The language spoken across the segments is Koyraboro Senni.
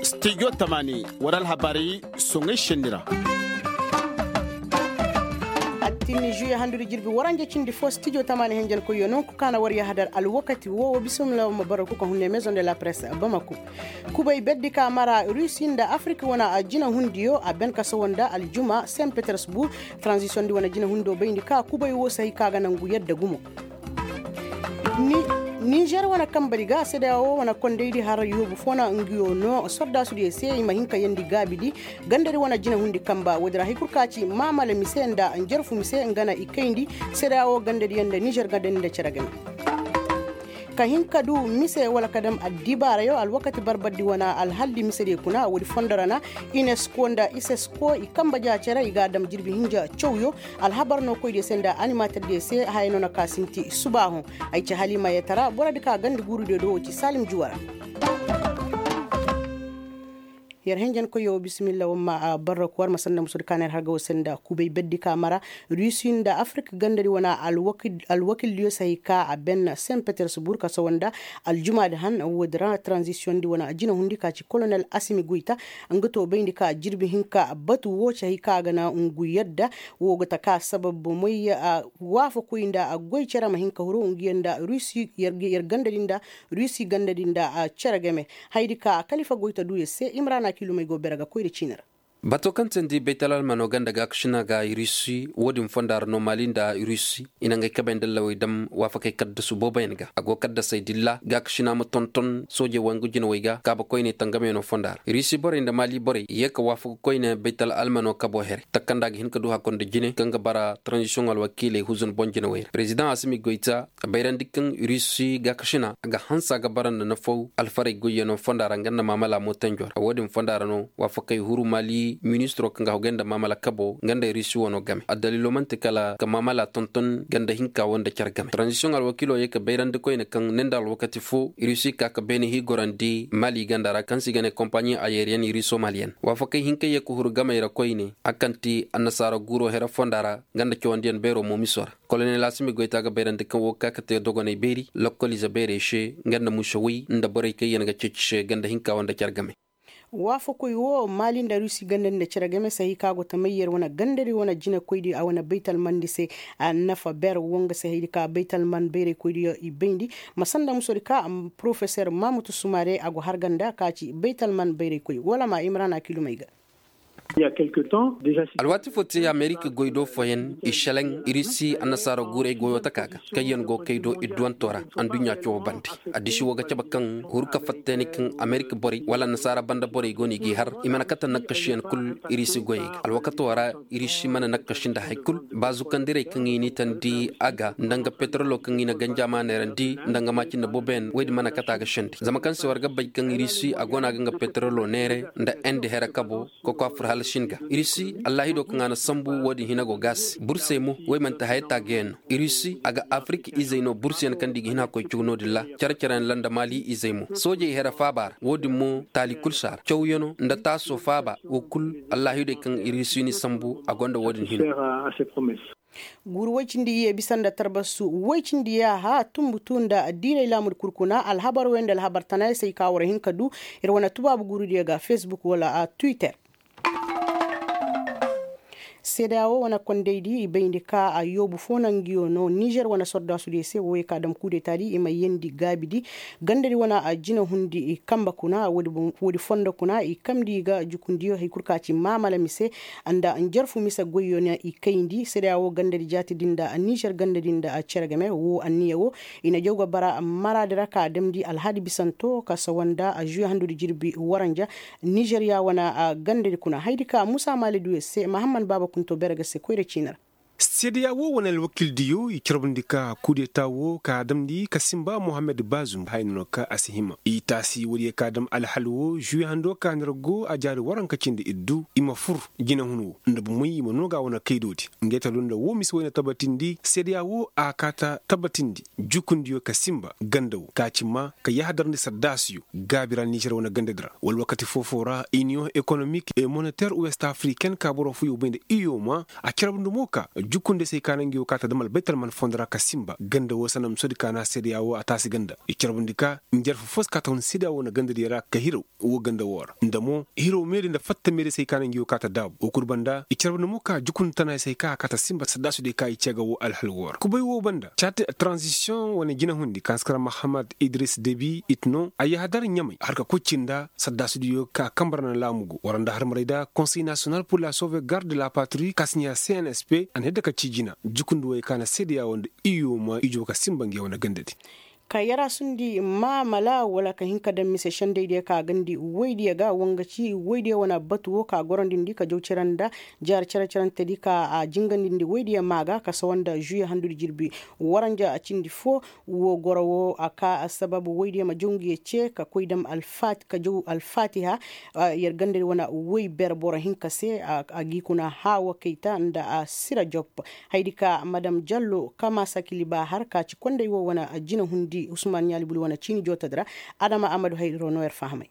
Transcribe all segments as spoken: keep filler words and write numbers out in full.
Stijo tamaani war alhabaari soŋay senni ra. Attinni žuye handudi jirbi waranja cindi fo stijo tamaani henjenkoyyo nonku kaana war yahadar alwakati woo wa bisimila wa ma bara kuka hunne maison de la presse bamako. Kubay berdi ka mara rusi nda afirika wane jina hundiyo a ben ka sawa nda aljuma saint petersburg. Transition di wane jina hundo bayndi ka kubay woo si hay ka ga nangu yadda gumo. Nizer wane kambari ga sedeya woo wane kondaydi har yoobu foo na nguyo noo sordaasudiyo se i ma hin ka yeendi gaabidi. Gandadi wane jina hundi kamba woodi ra hay kul ka ci maamala mise nda njarfu mise nga na i kayndi. Sedeya woo gandadiyo nda nizer gandadi nda cere game ka hin ka du mise wala ka dam addibaarayo alwakati barbardi wane alhaldi misediyo kuna woodi fondo ra na unesco nda isesko i kamba ja cere i ga a dam jirbi hinja cawyo. Alhabar no koydiyo se nda animaterdiyo se haya no na ka sinti subaahu. Ay ci haliima yetara borodi ka gandi guurudiyo do wo ci salim juwa ra. Yer henjenkoyyo wo bisimilla war ma barraku war ma sanda musudi ka na yer harga wo se nda kubay berdi ka mara rusi nda afirika gandadi wane alwakildiyo se hay ka a ben saint petersburg ka sawa nda aljumaadi han woodi ra transition di wane jina hundi ka ci kolonel asimi goyta. Nga to bayndi ka jirbi hinka batu wo ci hay ka a ga na ngu yadda wo ga ta ka sabab moy waafakoy nda goy cere ma hin ka huru ngu yadda rusi yer gandadi nda rusi gandadi nda cere game. Hayadi ka kalifa goy ta du yer se imrana kilumey go bere ga koy nda ciini ra. Bato kaŋ teendi baytal almano ganda gaakasina ga rusi wo-din fonda ra no mali nda rusi i na ngey kabey nda allawey dam waafakey kaddasu booboyaŋ ga a go kaddasey dilla gaakasina ma tonton soojey wangu jinawey ga kaaba koyney tangamyaŋo fonda ra rusi borey nda mali borey i ye ka waafaku koyne baytal almano kabo here takanda ga hin ka du hakkoy nda jine kaŋ ga bara taranzisiyoŋ alwakiiley huzun boŋ jinawey ra perezidaŋ asimi goyta a bayrandi kaŋ rusi gaakasina a ga hanse a ga bara nda nafaw alfarey goyyaŋo fonda ra nga nda maamala mootanjo ra wo-din fonda ra no waafakey huru mali ministiro kaŋ ga hogay nda maamala kabo nga nda rusi wano game addaliilo man'ti kala ka maamala tonton ganda hinka wo nda care game taranzisiyoŋ alwakiilo ye ka bayrandi koyne kaŋ ne nda alwakati fo rusi ka ka beene hii gorandi mali ganda ra kaŋ se i ga ne kompaɲi ayeriyen ruso maliyen waafakey hinkey ye ka huru gamey ra koyne a kaŋ ti annasaara guuro here fonda ra nga nda cawandiyaŋ beero mo miso ra kolonel asimi goyta ga bayrandi kaŋ wo ga ka ka te dogoney beeri lokkoliize beerey se nga nda musawey nda borey kaŋ yaŋ ga ceeci se ganda hinka wo nda care game. Waafakoy wo maali nda rusi ganda nda cere game se hay ka go ta may yer wane gandadi wane jinekoydi a wane baytalmandi se. Nafa ber wo nga se haydi ka baytalman bayraykoydiyo i bayndi ma sanda musodi ka porofeser mamutu sumare a go harga nda ka ci baytalman bayraykoy wala ma imrana kilumey ga. Alwaati fo te amerika goy do fooyaŋ i selaŋ irisi annasaara guuray goyo taka ga kaŋyaŋ go kay do idduwanto ra. Adduɲɲa cawo bande addisi wo ga cabe kaŋ huru ka fatta ni kaŋ amerika borey wala annasaara banda borey go no i g'i har i mana kate nakkasiyaŋ kul. Irisi goyey ga alwakato ra irisi mana nakkasi nda hari kul. Ba zukandirey kaŋ i n'i tandi a ga nda nga peterolo kaŋ i na ganjama neerandi nda nga maaci nda booboyaŋ woy din mana kate a ga sendi zama kaŋ se war ga bay kaŋ irisi a go no a ga nga peterolo neere nda endi here kabo. Koko a fur hala sin ga irisi allahido kaŋ a na sambu wo-din hina go ga a se bursey mo woy manti haya taaguyaŋ no. Irisi a ga afirika izey no bursuyaŋ kaŋ da i ga hina koy caw no-din ra. Care-careyaŋ ra nda maali izey mo soojey here faaba ra wo-din mo taali kul si a ra cawyaŋo nda taaso faaba wo kul. Allahidoy kaŋ irisi ni sambu a gonda wo-din hina. Guuru woy cindi iyye bisa nda tarbasu woy cindi yaaha tumbutu nda diiray laamudi kul kuna alhabar wey nda alhabar tanayaŋ se ay ka war hin ka du. Ir wane tubaabu guurudiyo ga facebook wala twitter. Seedeya wo wane kondaydi i bayndi ka a yoobu fo na nguyo no nizer wane sordaasudiyo se wo ye ka dam kudetaadi i ma yeendi gaabidi. Gandadi wane a jina hundi i kamba kuna woodi fondo kuna i kamndi i ga jukundiyo hari kul ka ci maamala mise nda njarfu mise goyyo na i kayndi seedeya wo gandadi jaatidi nda nizer gandadi nda cere game wo anniya wo. I na jaw ga bara maraadi ra ka damndi alhadi bisanto ka sawa nda žuwe handudi jirbi waranja. Nizeriya wane gandadi kuna haydi ka musa maali duyo se mahamman baaba kunto bere ga se koyra ciini ra. Seedeya wo wane alwakildiyo i carbundi ka kudeta wo ka damndi ka sinba mohammed bazum haya no ka a si hima i taasi woodiyo ka dam alhal wo žuwe hando ka nda ir go a jaari waranka cindi iddu i ma fur jinahun wo nda bomey i ma noo ga wane kaydoodi. Ngey ta du nda wo mise woy na tabatindi seedeya wo a kaa ta tabatindi jukundiyo ka sinba ganda wo ka ci maa ka yahadarndi sardaasiyo gaabi ra nizer wane gandadi ra wala wakati foo-foo ra iniyoŋ ekonomik e moneter west afriken ka boro fooyoo bay nda iyoma a carbundi mo ka Jukundey se ay ka na ngi wo ka ta dam albaytal man fondo ra ka sinba ganda wo sanam sodi ka na seedeya wo a taasi ganda i carbundi ka njarfa fo si ka ta hun seedeya wo na gandadiyo ra ka hiraw wo ganda wo ra nda mo hiraw meeri nda fatta meeri se ay ka na ngi wo ka ta daabu wo kul banda i carbundi mo ka jukundi tana se ay ka a ka ta sinba saddaasudey ka i cee ga wo alhal wo ra kubay wo banda caati tranzisiyoŋ wane jinahundi ka na si kara mahamad idris debi it no a yahadar ɲamay har ka koy cinda saddaasudiyo ka kambe ra na laamu go war nda harmarey da konsey nasiyonal pur la sauvegarde de la patri ka si ɲaa cnsp a na yadda ka ci jina jukundi woyey ka na seedeya wo nda iyo ma ijo ka sinba nge wane gandadi. Ka yarasundi maamala wala ka hin ka daŋ mise sendaydiyo ka gandi woydiyo ga wanga ci woydiyo wane batu wo ka gorondindi ka jaw cere nda jaari cere cerentedi ka a jingandindi woydiyo maa ga ka sawa nda žuye handudi jirbi waranja cindi fo. Wo goro wo a ka assabab woydiyo ma jaw ngi ye ce ka koy dam ka jaw alfaatiha. Yer gandadi wane woy ber boro hinka se a g'i kuna haawa kayta nda a sira jop. Haydi ka madam jallo kama sakili ba har ka ci konday wo wane jina hundi usman ɲaalibuli wane ciini jootadi ra. Adama amadu hayro no yer fahamay.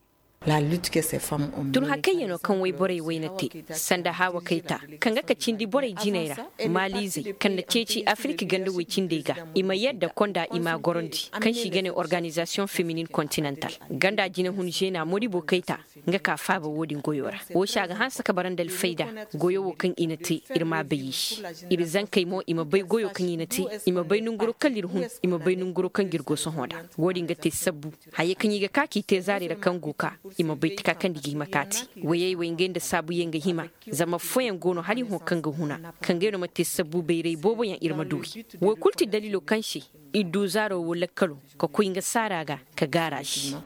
Tun hakayyanoo kaŋ woy borey woy na te sanda haawa kayta kaŋ ga ka cindi borey jiney ra maaliizey kaŋ na ceeci afirik ganda woy cindey ga i ma yadda konda i m'a gorandi kaŋ se i ga ne organizasiyoŋ feminin kontinental ganda jinahun žena moribo kayta. Nga ka faaba wo-din goyo ra wo se a ga hanse ka bara nda alfayda goyo wo kaŋ i na te ir m'a bay i se ir zankey mo i ma bay goyo kaŋ i na te i ma bay nanguro kala ir hun i ma bay nanguro kaŋ ga ir go sohõ nd'a. Wo-din ga te sabbu hayey kaŋ i ga ka k'i te zaari ra kaŋ go ka i ma bay taka kaŋ nda i ga hima ka te wayey wey ngey nda saabuyaŋ ga hima. Zama affooyaŋ go no hala i hõ kaŋ ga huna kaŋ ngey no ma te sabbu bayray booboyaŋ ir ma du wi. Wo kulu ti daliilo kaŋ se ir du zaaro wo lakkalo ka koy nga saara ga ka gaara se.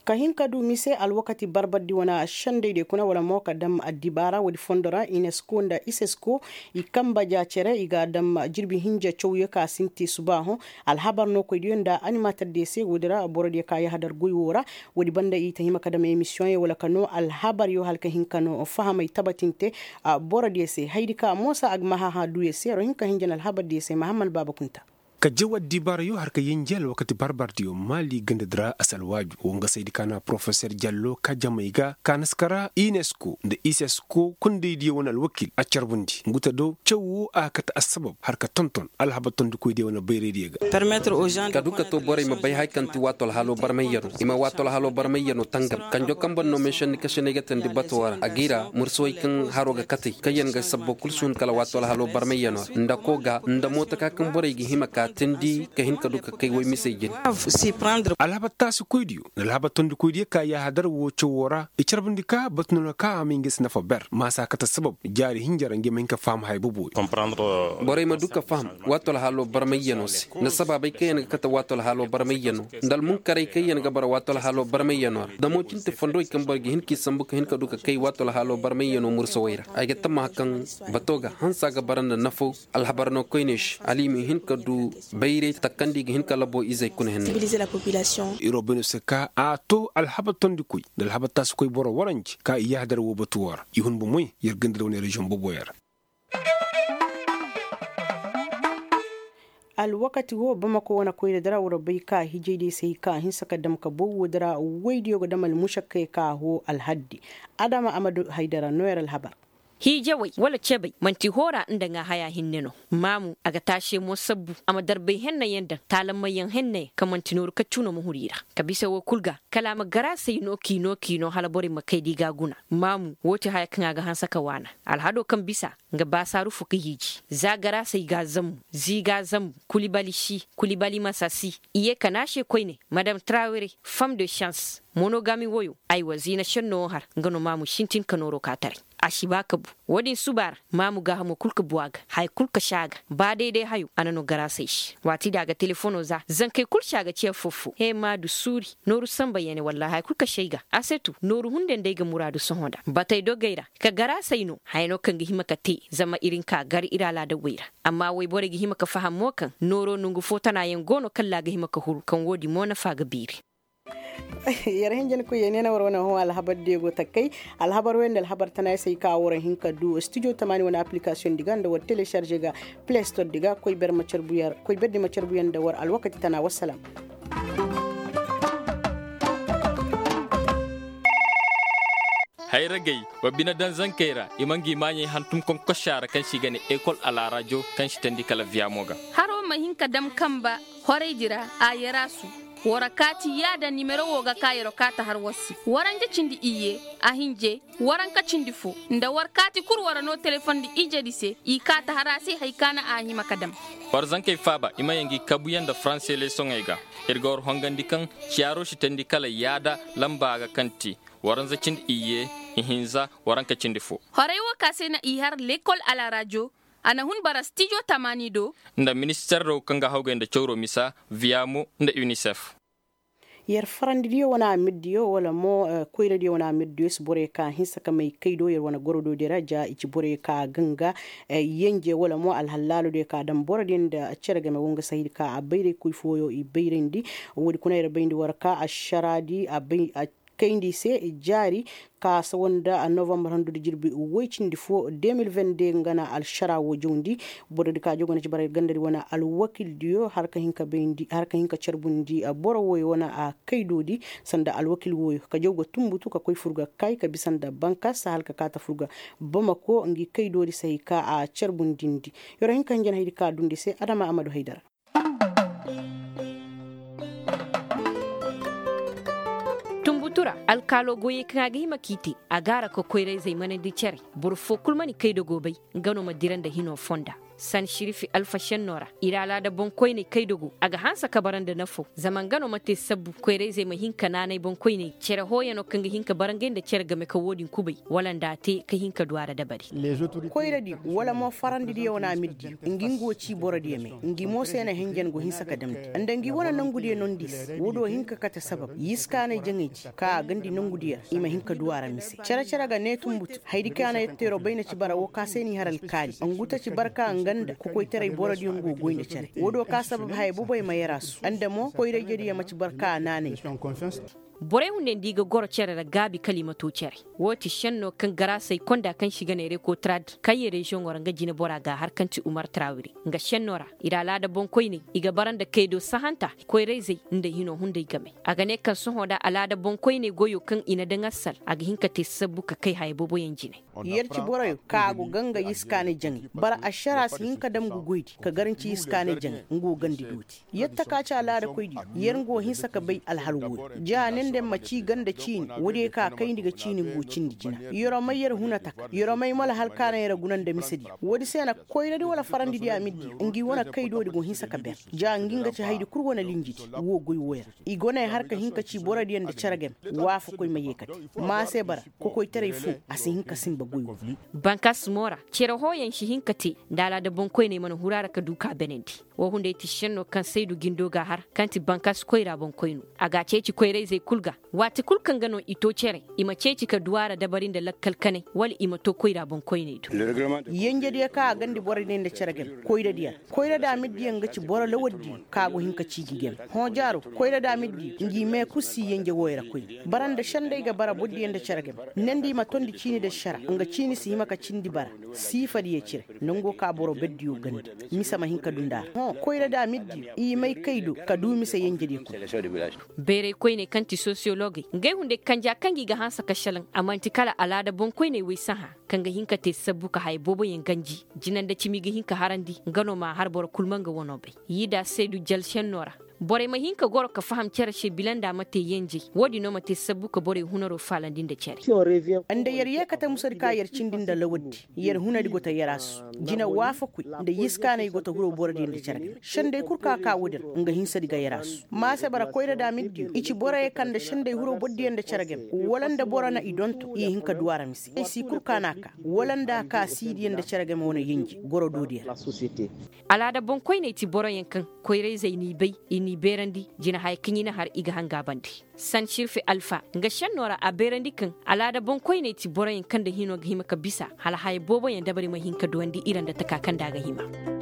Ka hin ka du mise alwakati barbardi wane sendaydiyo kuna wala mo ka dam addibaara woodi fondo ra inesko nda isesko i kamba ja cere i ga a dam jirbi hinja cawyo ka sinti subaahoŋ. Alhabar nookoydiyo nda animaterdiyo se woodi ra borodiyo ka yahadar goy woo ra. Woodi banda i ta hima ka dam emisiyoŋyo wala ka noo alhabaryo hala ka hin ka noo fahamay tabatinte. Borodiyo se haydi ka moosa agmahaha duyo se ro hin ka hinja na alhabardiyo se mahamman baaba kunta. Ka jaw addibaarayo har ka yenje alwakati barbardiyo maali gandadi ra a si alwaaju wo nga saydi ka na porofeser jallo ka jamey ga ka na si kara inesko nda isesko kondaydiyo wane alwakil a carbundi nguta do caw wo a ga kate assabab har ka tonton alhabar tondikoydiyo wane bayraydiyo ga. Ka du ka to borey ma bay haya kaŋ ti waato alhalo barmayyano i ma waato alhalo barmayyano tangam kanjo kaŋ boro no meesanni kasiney ga teendi bato ra a g'i ra mursawey kaŋ haro ga katey kaŋyaŋ ga sabbo kul si hun kala waato alhalo barmayyano ra nda koo ga nda mootaka kaŋ borey ga hima ka teendi ka hin ka du ka kay woy misey jine. Alhabar taasikoydiyo nda alhabar tondikoydiyo ka yaahadar woo cawoo ra i carbundi ka batu no na ka a may nga si nafa ber maasa kate sabab jaari hinja ra nga ma hin ka faham haya boboyo. Borey ma du ka faham waato alhalo barmayyano se nda sabaabey kaŋ yaŋ ga kate waato alhalo barmayyano nda almunkarey kaŋ yaŋ ga bara waato alhalo barmayyano ra damo cinte fondowey kaŋ boro ga hin k'i sambu ka hin ka du ka kay waato alhalo barmayyano mursawey ra ay ga tammaha kaŋ bato ga hansa ga bara nda nafo. Alhabar no koyney se hala i ma hin ka du bayray takandi ga hin ka labo izey kuna henne. Iroo bay no se ka a to alhabar tondikoy nda alhabar taasikoy boro waranji ka i yaahadar woo batu woo ra i hun bomoy yer ganda da wane reziyoŋ boboyaŋ ra. Alwakati woo bamako wane koyra dara war bay ka hijaydiyo se ka hinsa ka dam ka bow woo dara woydiyo ga dam almušakkey ka hoo alhaddi. Adama amadu haydara nooyar alhabar. Hiijawey wala cebey man'ti hoora nda ŋaa haya hinne no. Maamu a ga taasey mo sabbu a ma darbey hennayaŋ daŋ taalammayyaŋ hennayaŋ kaŋ man'ti nooru kaccu no ma huru i ra. Ka bisa woo kul ga kala a ma garaasey no k'i no k'i no hala borey ma kay da i g'a guna. Maamu woo ti haya kaŋ a ga hanse ka waana. Alhado kaŋ bisa nga baasaaru fo ka hiiji za garaasey g'a zammu zii g'a zammu. Kulibali si kulibali masa si i ye ka naase koyne madam trawere fam de šans. Monogami woyo aywa ziina šenno wo har nga no maamu sintin ka nooro ka taray. A si ba ka bu. Wo-din suba ra maamu gaahamo kul ka bu a ga haya kul ka si a ga ba day-day hayo a na no garaasey se waati din a ga telefono za zankey kul se a ga ci affoo-foo he maadu suuri. Nooru sanba yene wallaahi haya kul ka si ay ga a se tu nooru hunday nda ay ga muraadu sohõ nda batey dogey ra. Ka garaasey no haya no kaŋ ga hima ka te zama ir hin ka gar ir alaadawey ra. Amma woyborey ga hima ka faham mo kaŋ nooro nongu fo tana yaŋ go no kalla a ga hima ka huru kaŋ wo-din mo nafa ga beeri. Yar hinjinkoyey ne na war wane hõ alhabar diyo go takkay. Alhabar wey nda alhabar tana ya se ay ka war hin ka du studio tamaani wane application di ga nda war telesharze ga play store di ga koy ber ma carbu yar koy ber di ma carbu yar nda war alwakati tana wassalam. Hay. Wa bine daŋ zankey ra i ma ngi maaɲey hantum konkosa ra kaŋ se i ga ne ekol alaarajo kaŋ si teendi kala viyamo ga. Haro ma hin ka dam kamba horaydi ra a yaraasu. War kaati yaada nimero wo ga ka yaro kaata har war se waranja cindi iyye, a hinje, waranka cindi fo, nda war kaati kul war no telefondi ijedi se i kaata har a se hari ka na a hima ka dam. War zankey faaba i ma yaŋ ngi kabuyaŋ nda faranse leesoŋey ga. Ir ga war hongandi kaŋ ciyaaro si teendi kala yaada lamba ga kaŋ te, waranza cindi iyye, ihinza, waranka cindi fo. Horay wo ka se na i har lekol alaarajo. A na hun bara stijo tamaani do. Nda minister do kaŋ ga hawgay nda cawro misa, viyamo, nda unicef. Yer farandidiyo wane amirdiyo wala mo koyradiyo wane amirdiyo si borey ka hinsa ka may kaydo yer wane gorodo di ra ja i ci borey ka ganga, yenje wala mo alhallaalodiyo ka daŋ borodiyo nda cere game wo nga sahidi ka a bayray koy fooyo i bayrandi. Woodi kuna yer bayndi war ka ašaraadi a bay a kayndi se jaari, ka sawa nda novambar handu nda jirbi woy cindi fo de mil vende nga na alšara wo jawndi. Borodi ka jogo na ci bara gandadi wane alwakildiyo har ka hin ka bayndi har ka hin ka carbundi boro woyo wane a kaydodi, sanda alwakil woyo ka jaw ga tumbutu ka koy fur ga kay ka bisa nda bankas hala ka kaata fur ga bamako ngi kaydodi sahi ka a carbundindi. Yer wo hin ka hinja na haydi ka dundi se adama amadu haydara. Tunbutu ra alkaalo goyey kaŋ a ga hima k'i te, a gaara ka koyra-izey manandi cere. Boro foo kul mana kaydago bay, nga no ma dira nda hino fonda. San širifi alfa šenno ra, ir alaada boŋkoyney kaydago a ga hanse ka bara nda nafo zama nga no ma te sabbu koyra-izey ma hin ka naanay boŋkoyney cere hooyano kaŋ ga hin ka bara ngey nda cere game ka wo-din kubay, wala nda a te ka hin ka du a ra dabari. Koyradiyo wala mo farandidiyo wane amirdiyo, ngi nga wo ci borodiyo me. Ngi mo se na henjen go hinsa ka damndi nda ngi wane nongudiyo nondi se wo do hin ka kate sabab yiskaanay jaŋay di ka a gandi nongudiyo ra i ma hin ka du a ra mise cere-cere ga ne tunbutu haydi kaŋ a na yer teero bay na ci bara wo ka se n'i har alkaali ngu ta ci barka nga nda kokoytaray borodiyo ngu goy nda cere wo do ka sabab haya boboy ma yer a su nda mo koyra-ijediyo ma ci barka a naanay. Borey hunday nda i ga goro cere ra gaabi kala i ma to cere. Woo ti šenno kaŋ garaasey konda kaŋ se i ga ne rekotrad kaŋ ye reziyoŋo ra nga jinebora ga a har kaŋ ti umar trawire. Nga šenno ra ir alaada boŋkoyney i ga bara nda kaydo sahanta, koyra-izey nda hino hunday game. A ga ne kaŋ sohõ nda alaada boŋkoyney goyo kaŋ i na daŋ assal a ga hin ka te sabbu ka kay haya booboyaŋ jine. Yer ci boroyo kaŋ a go ganga yiskaanay jaŋay bara ašara si hin ka dam ngu goydi ka garanci yiskaanay jaŋay nga wo gandi dooti. Yer taka ci alaadakoydiyo yer nga wo hinsa ka bay alhal wooyo ja ne nda yer ma ci ganda ciini woodiyo ka kayndi ga ciini nga wo cindi jina. Yer wo may yer huna taka yer wo may mo alhal ka na yer guna nda misediyo woodi se na koyradi wala farandidiyo amirdiyo ngi wane kaydoodi go hinsa ka ber ja ngi nga ci haydi kul wane linjidi wo goy wooyo ra. I go na ay har ka hin ka ci borodiyo nda cere game. Waafakoy ma yeekate ma a se bara kokoytaray foo a si hin ka sinba goy wo. Bankas mo ra cere hooyaŋ si hin ka te nda alaada boŋkoyney mana huru a ra ka du ka benandi. Woo hunday ti šenno kaŋ saydu jindo ga a har kaŋ ti bankas koyra boŋkoyno a ga a ceeci koyra-izey kul ga. Waati kul kaŋ ga no i to cere i ma ceeci ka du a ra dabari nda lakkal kanay wala i ma to koyra boŋkoyney do. Yenjediyo kaŋ a gandi borodiyo nda cere game koyradiyo ra koyradi amirdiyo nga ci boro lawaddiyo kaŋ a go hin ka ci ngi game. Hõ jaaro koyradi amirdiyo ngi mee kul si yenje wooyo ra koyne bara nda senday ga bara bordiyo nda cere game. Nandi i ma tondi ciini nda sara nga ciini si hima ka cindi bara siifadiyo cire. Nango ka boro berdiyo gandi mise ma hin ka du nda a ra hõ koyradi amirdiyo i may kaydo ka du mise yenjediyo kul. Bayray koyney kaŋ ti sosiyologey ngey hunday kanja kaŋ gi ga hanse ka šelaŋ a man'ti kala alaada boŋkoyney woy sahã kaŋ ga hin ka te sabbu ka haya booboyaŋ ganji. Jina nda cimi ga hin ka harandi nga no m'a har boro kul ma nga wano bay. Yiida saydu jal šenno ra borey ma hin ka goro ka faham cere se bila nda a ma te yenjey woodin no ma te sabbu ka borey hunaro faalandi nda cere. Nda yer yeekate musadi ka yer cindi nda lawaddi yer hunadi go ta yer a su. Jina waafakoy nda yiskaanay go ta huro borodiyo nda cere game senday kul ka ka woodin ra nga hinsadi ga yer a su ma a se bara koyradi amirdiyo i ci boroyo kaŋ nda senday huro borodiyo nda cere game wala nda boro na i donto i hin ka du a ra mise ay si kul ka na a ka wala nda a ka siidiyo nda cere game wane yenje goro doodiyo ra. Alaada boŋkoyney ti boroyaŋ kaŋ koyra-izey n'i bay i n'i beerandi jina haya kaŋ i na har i ga hanga bande. San sirfe alfa nga šenno ra a beerandi kaŋ alaada boŋkoyney ti boroyaŋ kaŋ nda hino ga hima ka bisa hala haya booboyaŋ dabari ma hin ka duwandi ira nda taka kaŋ nda a ga hima.